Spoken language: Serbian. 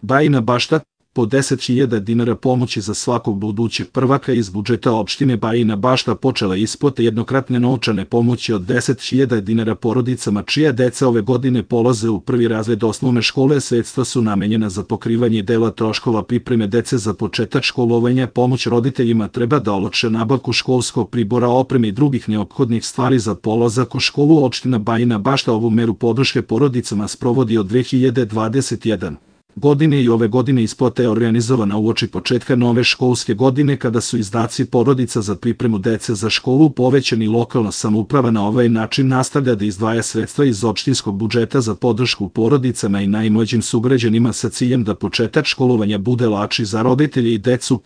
Bajina Bašta, po 10.000 dinara pomoći za svakog budućeg prvaka iz budžeta opštine Bajina Bašta počela isplata jednokratne novčane pomoći od 10.000 dinara porodicama čija deca ove godine polaze u prvi razred osnovne škole. Sredstva su namenjena za pokrivanje dela troškova pripreme dece za početak školovanja. Pomoć roditeljima treba da olakša nabavku školskog pribora, opreme i drugih neophodnih stvari za polazak u školu. Opština Bajina Bašta ovu meru podrške porodicama sprovodi od 2021. godine i ove godine isplata je organizovana uoči početka nove školske godine kada su izdaci porodica za pripremu dece za školu povećani. Lokalna samouprava na ovaj način nastavlja da izdvaja sredstva iz opštinskog budžeta za podršku porodicama i najmlađim sugrađanima sa ciljem da početak školovanja bude lakši za roditelje i decu.